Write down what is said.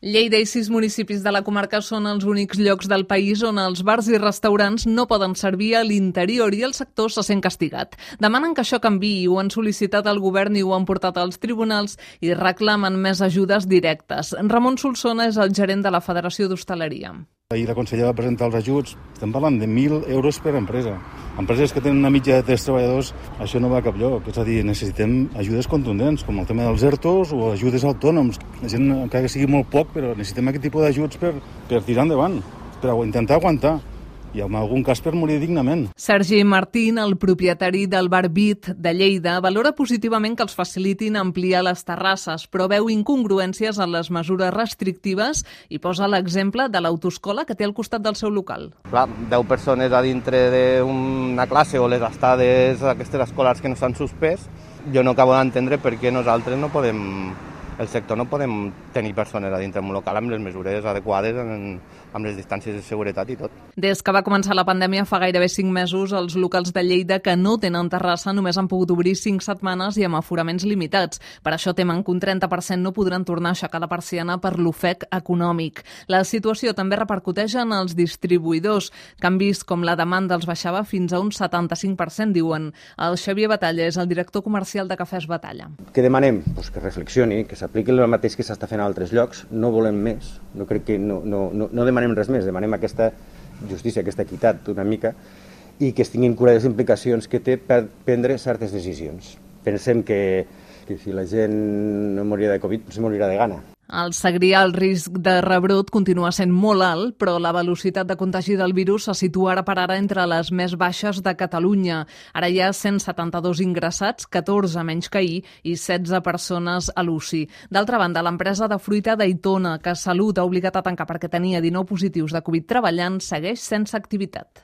Lleida i 6 municipis de la comarca són els únics llocs del país on els bars i restaurants no poden servir a l'interior i el sector se sent castigat. Demanen que això canviï, ho han sol·licitat al govern i ho han portat als tribunals i reclamen més ajudes directes. Ramon Solsona és el gerent de la Federació d'Hostaleria. Ahir la consellera va presentar els ajuts. Estem parlant de 1.000 euros per empresa. Empreses que tenen una mitja de 3 treballadors, això no va a cap lloc. És a dir, necessitem ajudes contundents, com el tema dels ERTOs o ajudes a autònoms. La gent, encara que sigui molt poc, però necessitem aquest tipus d'ajuts per tirar endavant, per intentar aguantar. I en algun cas per morir dignament. Sergi Martín, el propietari del bar Beat de Lleida, valora positivament que els facilitin ampliar les terrasses, però veu incongruències en les mesures restrictives i posa l'exemple de l'autoescola que té al costat del seu local. Clar, 10 persones a dintre d'una classe o les estades aquestes escolars que no s'han suspès, jo no acabo d'entendre per què nosaltres no podem, el sector no podem tenir persones a dintre d'un local amb les mesures adequades, amb les distàncies de seguretat i tot. Des que va començar la pandèmia fa gairebé 5 mesos, els locals de Lleida que no tenen terrassa només han pogut obrir 5 setmanes i amb aforaments limitats. Per això temen que un 30% no podran tornar a aixecar la persiana per l'ofec econòmic. La situació també repercuteix en els distribuïdors, que han vist com la demanda els baixava fins a un 75%, diuen. El Xavier Batalla és el director comercial de Cafès Batalla. Què demanem? Pues que reflexioni, que s'apliqui el mateix que s'està fent a altres llocs. No volem més. No crec que no demanem res més, demanem aquesta justícia, aquesta equitat una mica i que es tinguin cura de les implicacions que té per prendre certes decisions. Pensem que si la gent no morirà de Covid, potser morirà de gana. Al Segrià el risc de rebrot continua sent molt alt, però la velocitat de contagi del virus se situa ara per ara entre les més baixes de Catalunya. Ara hi ha 172 ingressats, 14 menys que ahir i 16 persones a l'UCI. D'altra banda, l'empresa de fruita d'Aitona, que Salut ha obligat a tancar perquè tenia 19 positius de Covid treballant, segueix sense activitat.